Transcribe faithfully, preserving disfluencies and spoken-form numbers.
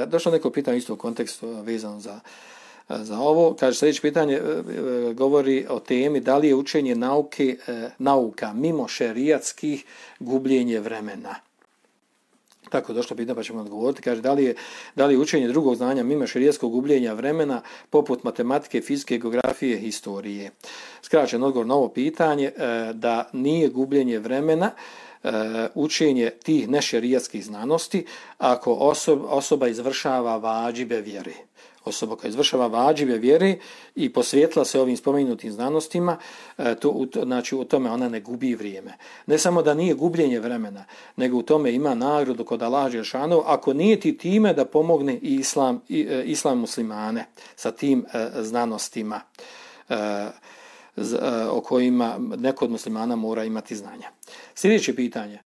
Došlo neko pitanje isto u kontekstu vezano za, za ovo. Kaže, sljedeće pitanje govori o temi da li je učenje nauke, nauka mimo šerijatskih gubljenje vremena. Tako došlo pitanje pa ćemo odgovoriti. Kaže, da li je, da li je učenje drugog znanja mimo šerijatskog gubljenja vremena poput matematike, fizike, geografije, historije. Skraćen odgovor na ovo pitanje da nije gubljenje vremena učenje tih nešerijatskih znanosti ako osoba, osoba izvršava vađibe vjere. Osoba koja izvršava vađibe vjere i posvetila se ovim spomenutim znanostima, to, znači u tome ona ne gubi vrijeme. Ne samo da nije gubljenje vremena, nego u tome ima nagradu kod Allaha dželešanu, ako nije ti time da pomogne i islam, i, islam muslimane sa tim znanostima o kojima neko od muslimana mora imati znanja. Sljedeće pitanje.